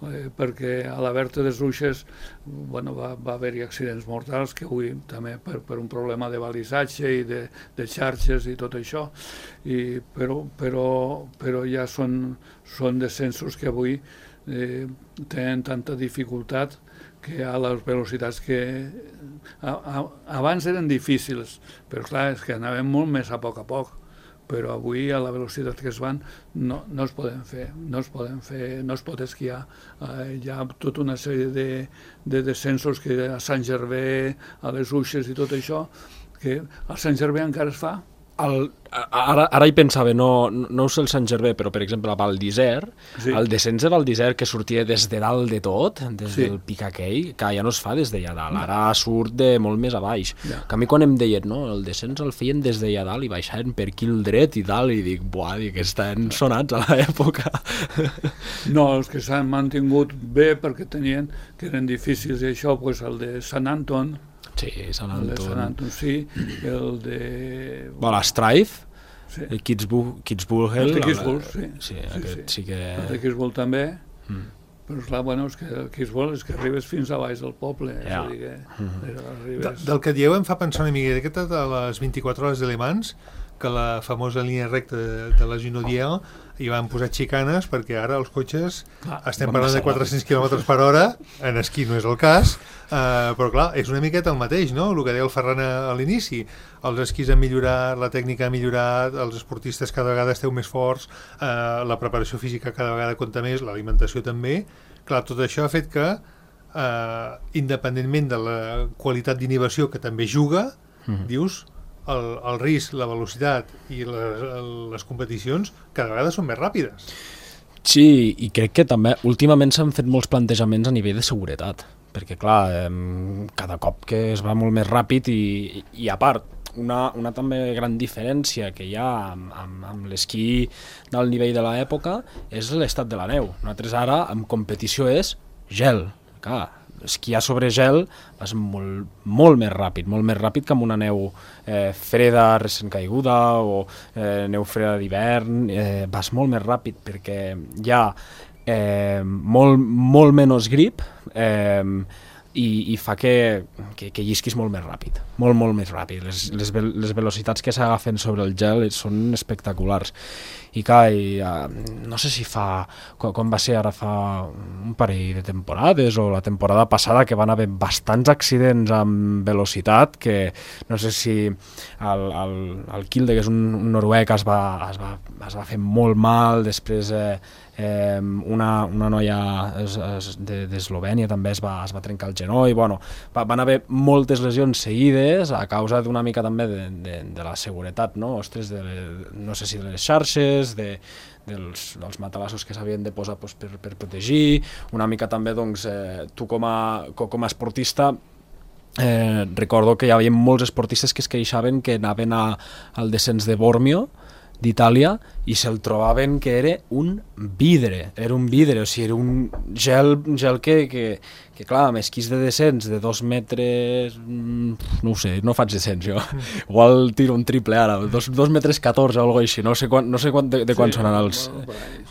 eh, perquè a la Berta des Uixes bueno, va, va haver-hi accidents mortals, que avui també per, per un problema de balisatge i de, de xarxes i tot això, i, però, però, però ja són, són descensos que avui eh, tenen tanta dificultat que a les velocitats que a, a, abans eren difícils, però clar, és que anàvem molt més a poc a poc, però avui a la velocitat que es van no, no es poden fer, no es poden fer, no es pot esquiar. Eh, hi ha tota una sèrie de, de descensos que a Sant Gervais, a les Uixes i tot això, que a Sant Gervais encara es fa. El, ara, ara hi pensava, no, no ho sé el Sant Gervais, però per exemple a Val d'Isern, sí. El descens de Val d'Isern que sortia des de dalt de tot, des sí. del pic aquell, que ja no es fa des d'allà dalt, no. Ara surt de molt més a baix. Ja. Que a mi quan em deien, no, el descens el feien des d'allà dalt i baixaven per aquí el dret i dalt, i dic, buah, dic, estan sonats a l'època. No, els que s'han mantingut bé perquè tenien, que eren difícils, i això, pues, el de Sant Anton, sí, Sant Anton. El de Sant Anton, sí, el de... Bueno, l'Strife, sí. El Kitzbühel... El de Kitzbühel, sí. Sí, aquest sí, sí. sí que... El de Kitzbühel també, mm. però esclar, bueno, és que el que es vol és que arribes fins a baix del poble. Ja. És a dir, que De, arribes... del que dieu em fa pensar una miqueta de les vint-i-quatre hores de Le Mans, que la famosa línia recta de, de la Junodiel hi van posar xicanes perquè ara els cotxes Clar, estem parlant de quatre-cents quilòmetres per hora, en esquí no és el cas, eh, però clar, és una miqueta el mateix, no? El que deia el Ferran a l'inici, els esquís han millorat, la tècnica ha millorat, els esportistes cada vegada esteu més forts, eh, la preparació física cada vegada compta més, l'alimentació també. Clar, tot això ha fet que eh, independentment de la qualitat d'inhibició que també juga, mm-hmm. dius, el, el risc, la velocitat i les, les competicions cada vegada són més ràpides. Sí, i crec que també últimament s'han fet molts plantejaments a nivell de seguretat, perquè clar, eh, cada cop que es va molt més ràpid i, i a part, una, una també gran diferència que hi ha amb, amb, amb l'esquí del nivell de l'època és l'estat de la neu. Nosaltres ara, en competició, és gel. Clar, esquiar sobre gel vas molt, molt més ràpid, molt més ràpid que amb una neu eh, freda, recent caiguda, o eh, neu freda d'hivern, eh, vas molt més ràpid perquè hi ha eh, molt, molt menys grip, eh, i, i fa que, que, que llisquis molt més ràpid, molt, molt més ràpid. Les, les, les velocitats que s'agafen sobre el gel són espectaculars. I clar, i, uh, no sé si fa, com, com va ser ara fa un parell de temporades o la temporada passada, que van haver bastants accidents amb velocitat, que no sé si el, el, el Kilde, que és un, un noruec, es va, es, va, es va fer molt mal, després eh, eh, una, una noia es, es, d'Eslovènia també es va, es va trencar el genoll, bueno, va, van haver moltes lesions seguides a causa d'una mica també de, de, de la seguretat, no? Ostres, de, no sé si de les xarxes, de, dels, dels matalassos que s'havien de posar doncs, per, per protegir, una mica també doncs, eh, tu com a, com a esportista eh, recordo que hi havia molts esportistes que es queixaven que anaven a, al descens de Bormio d'Itàlia i se'l trobaven que era un vidre, era un vidre, o sigui, era un gel, gel que, que, que clar, amb esquís de descens de dos metres, no ho sé, no faig descens jo, igual tiro un triple ara, dos, dos metres catorze o alguna així, no sé, quan, no sé quan, de, de quan sí, són els...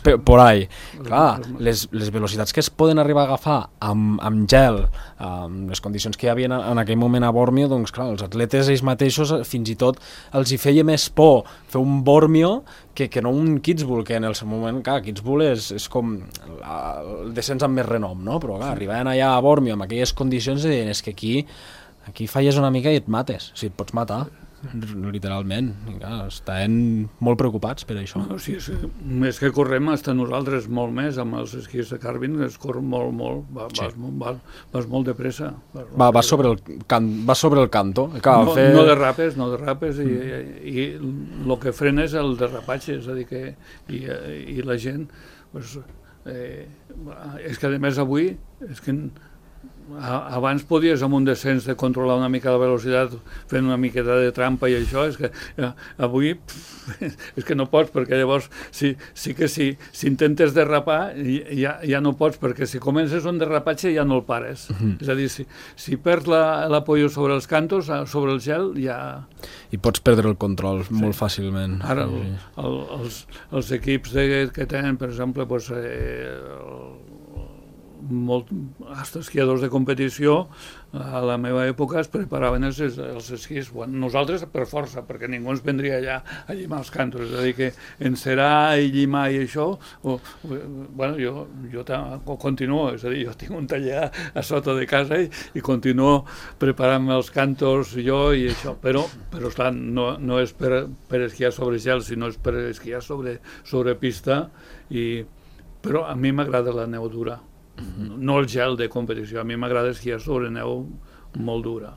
Por, por ahí. Clar, les, les velocitats que es poden arribar a agafar amb, amb gel, amb les condicions que hi havia en aquell moment a Bormio, doncs clar, els atletes ells mateixos fins i tot els hi feia més por fer un Bormio que, que no un Kitzbühel, que en el seu moment, clar, Kitzbühel és, és com la, el descens amb més renom, no? Però clar, arribaven allà a Bormio amb aquelles condicions i deien, és que aquí, aquí falles una mica i et mates, o sigui, et pots matar, literalment. I clar, estaven molt preocupats per això. No, sí, sí. Més que correm, hasta nosaltres molt més, amb els esquís de Carvin, es corre molt, molt, va, sí. vas, vas, vas molt de pressa. Vas, va, va, sobre el can, va sobre el canto. Clar, no, fer... no derrapes, no derrapes, i, mm. i, i el que frena és el derrapatge, és a dir que i, i la gent, pues, eh, és que a més avui, és que abans podies amb un descens de controlar una mica la velocitat fent una miqueta de trampa i això, és que eh, avui pff, és que no pots, perquè llavors sí, sí que sí, si intentes derrapar ja, ja no pots, perquè si comences un derrapatge ja no el pares. Uh-huh. És a dir, si, si perds l'apoyo la, sobre els cantos, sobre el gel, ja... I pots perdre el control sí. molt fàcilment. Ara sí. el, el, els, els equips de, que tenen, per exemple, pues, eh, el, molt, hasta esquiadors de competició a la meva època es preparaven els, els esquís, bueno, nosaltres per força, perquè ningú ens vendria allà a llimar els cantos, és a dir que encerar i llimar i això o, bueno, jo, jo continuo, és a dir, jo tinc un taller a sota de casa i, i continuo preparant-me els cantos jo i això, però, però esclar, no, no és per, per esquiar sobre gel, sinó és per esquiar sobre, sobre pista, i, però a mi m'agrada la neu dura. No el gel de competició, a mi m'agrada esquiar sobre neu molt dura,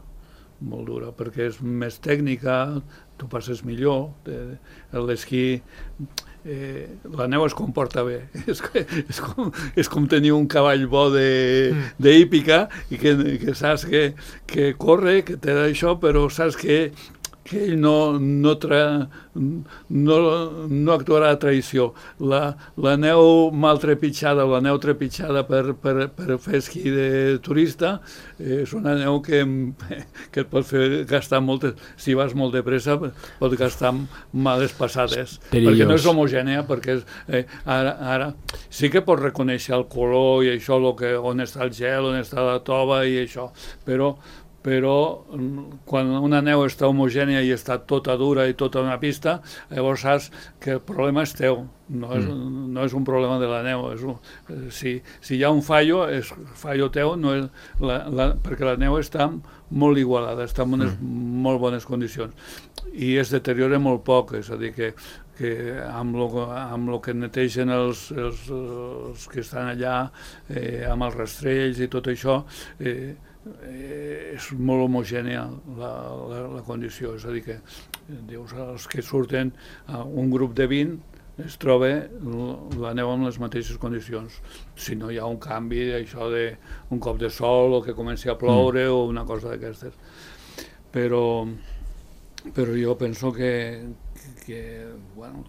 molt dura, perquè és més tècnica, tu passes millor, l'esquí, eh, la neu es comporta bé, és, és, com, és com tenir un cavall bo d'hípica i que, que saps que, que corre, que té això, però saps que que ell no, no, tra, no, no actuarà a traïció. La, la neu mal trepitjada, la neu trepitjada per, per, per fer esquí de turista, eh, és una neu que, que et pot fer gastar moltes... Si vas molt de pressa, pot gastar males passades. Perillós. Perquè no és homogènia, perquè és, eh, ara, ara sí que pots reconèixer el color i això, lo que, on està el gel, on està la tova i això, però però quan una neu està homogènia i està tota dura i tota una pista, llavors saps que el problema és teu, no és, mm. no és un problema de la neu. És un, si, si hi ha un fallo, és fallo teu, no és la, la, perquè la neu està molt igualada, està en unes mm. molt bones condicions i es deteriora molt poc, és a dir, que que amb lo, amb lo que netegen els, els, els que estan allà, eh, amb els rastrells i tot això, eh, eh, és molt homogènia la, la, la condició, és a dir que dius, els que surten a un grup de vint es troba la neu amb les mateixes condicions. Si no hi ha un canvi d'això d'un cop de sol o que comenci a ploure mm. o una cosa d'aquestes. Però, però jo penso que que bueno,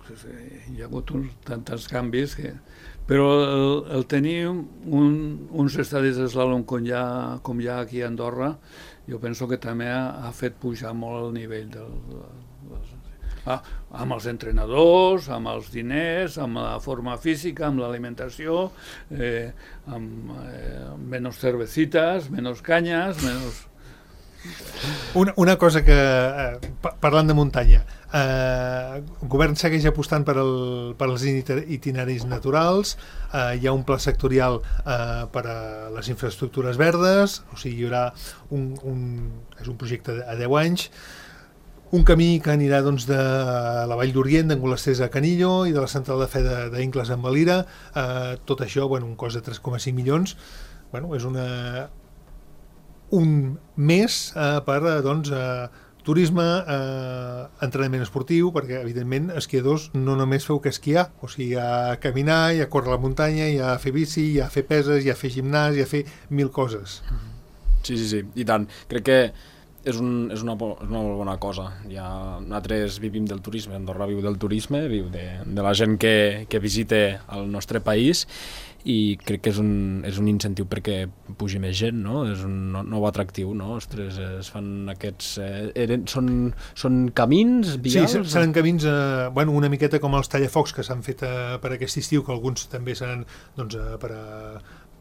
hi ha hagut uns, tants canvis que... però el, el tenir un, uns estadis d'eslàlom com, ja, com hi ha aquí a Andorra, jo penso que també ha, ha fet pujar molt el nivell del, del, ah, amb els entrenadors, amb els diners, amb la forma física, amb l'alimentació, eh, amb eh, menys cervecitas, menys canyes, menys... Una, una cosa que, eh, parlant de muntanya, eh, el govern segueix apostant per, el, per els itineraris naturals, eh, hi ha un pla sectorial eh, per a les infraestructures verdes, o sigui, hi haurà un, un, és un projecte a deu anys, un camí que anirà doncs, de la Vall d'Orient, d'Angolasters a Canillo i de la central de fe d'Incles amb Valira, eh, tot això, bueno, un cost de tres coma cinc milions, bueno, és una... un mes eh, per doncs, eh, turisme, eh, entrenament esportiu, perquè evidentment esquiadors no només feu que esquiar, o sigui, a caminar, i a córrer a la muntanya, i a fer bici, i a fer peses, i a fer gimnàs, i a fer mil coses. Sí, sí, sí, i tant. Crec que és, un, és, una, és una molt bona cosa. Ja, nosaltres vivim del turisme, Andorra viu del turisme, viu de, de la gent que, que visita el nostre país, i crec que és un, és un incentiu perquè pugi més gent, no? És un nou atractiu, no? Ostres, es fan aquests... Eh, eren, són, són camins vials? Sí, seran camins, eh, bueno, una miqueta com els tallafocs que s'han fet eh, per aquest estiu, que alguns també seran doncs, eh, per a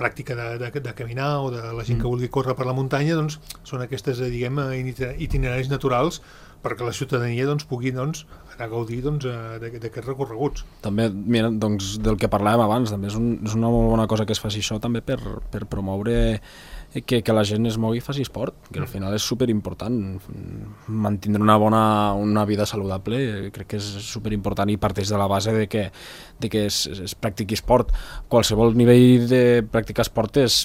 pràctica de, de, de caminar o de la gent que vulgui córrer per la muntanya, doncs són aquestes, eh, diguem, itineraris naturals perquè la ciutadania doncs, pugui doncs, anar a gaudir doncs, d'aquests recorreguts. També, mira, doncs, del que parlàvem abans, també és, un, és una molt bona cosa que es faci això també per, per promoure que, que la gent es mogui i faci esport, que al final és superimportant. Mantindre una bona una vida saludable crec que és superimportant i parteix de la base de que, de que es, es practiqui esport. Qualsevol nivell de practicar esport és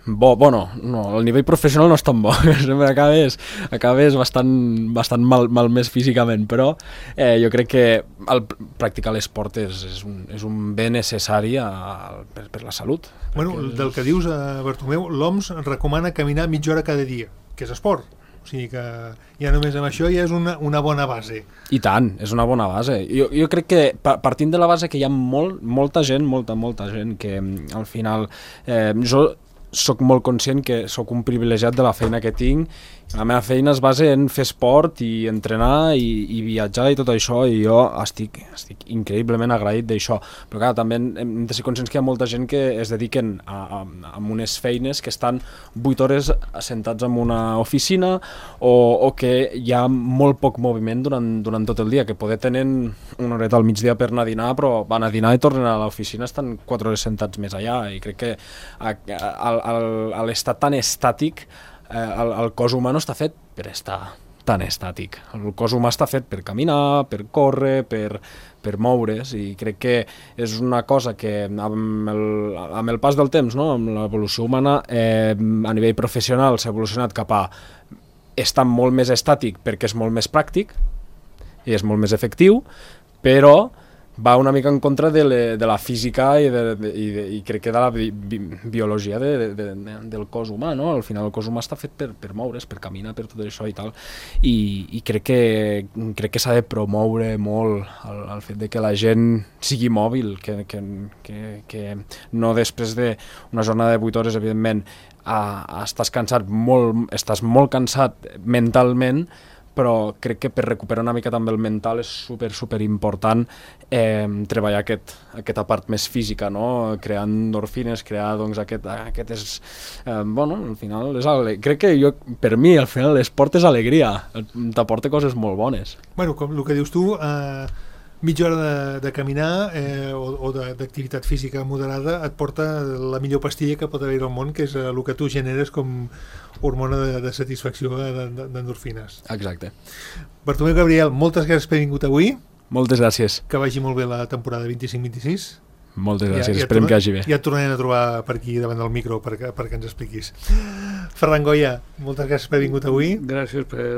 bo, bueno, no, el nivell professional no és tan bo, sempre acabes, acabes bastant, bastant mal, mal més físicament, però eh, jo crec que el practicar l'esport és, és, un, és un bé necessari a, per, per la salut. Bueno, és... del que dius, eh, Bartomeu, l'O M S recomana caminar mitja hora cada dia, que és esport. O sigui que ja només amb això ja és una, una bona base. I tant, és una bona base. Jo, jo crec que partint de la base que hi ha molt, molta gent, molta, molta gent que al final... Eh, jo soc molt conscient que sóc un privilegiat de la feina que tinc. La meva feina es basa en fer esport i entrenar i, i viatjar i tot això, i jo estic, estic increïblement agraït d'això. Però clar, també hem de ser conscients que hi ha molta gent que es dediquen a, a, a unes feines que estan vuit hores assentats en una oficina o, o que hi ha molt poc moviment durant, durant tot el dia, que poder tenen una horeta al migdia per anar a dinar, però van a dinar i tornen a l'oficina, estan quatre hores sentats més allà, i crec que a, a, a, a l'estat tan estàtic eh, el, el cos humà no està fet per estar tan estàtic. El cos humà està fet per caminar, per córrer, per, per moure's, i crec que és una cosa que amb el, amb el pas del temps, no? Amb l'evolució humana, eh, a nivell professional s'ha evolucionat cap a estar molt més estàtic perquè és molt més pràctic i és molt més efectiu, però va una mica en contra de, le, de la física i, de, de, i, de, i crec que de la bi, bi, biologia de, de, de, de, del cos humà, no? Al final el cos humà està fet per, per moure's, per caminar, per tot això i tal, i, i crec que, crec que s'ha de promoure molt el, el fet de que la gent sigui mòbil, que, que, que, que no després d'una jornada de vuit hores, evidentment, a, a estàs cansat molt, estàs molt cansat mentalment, però crec que per recuperar una mica també el mental és super, super important eh, treballar aquest, aquesta part més física, no? Crear endorfines, crear doncs aquest, aquest és, eh, bueno, al final és ale... crec que jo, per mi al final l'esport és alegria, t'aporta coses molt bones. Bueno, com el que dius tu, eh, mitja hora de, de caminar eh, o, o d'activitat física moderada et porta la millor pastilla que pot haver al món, que és el que tu generes com hormona de, de satisfacció d'endorfines. Exacte. Bartomeu Gabriel, moltes gràcies per haver vingut avui. Moltes gràcies. Que vagi molt bé la temporada vint-i-cinc vint-i-sis. Moltes gràcies, ja, ja esperem que hagi bé. Ja et tornarem a trobar per aquí davant del micro perquè, perquè ens expliquis. Ferran Goya, moltes gràcies per haver vingut avui. Gràcies per,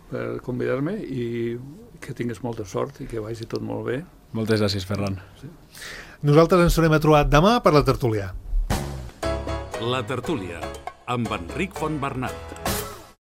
per convidar-me i que tingues molta sort i que vagi tot molt bé. Moltes gràcies, Ferran. Sí. Nosaltres ens tornem a trobar demà per la tertúlia. La tertúlia, amb Enric Fontbernat.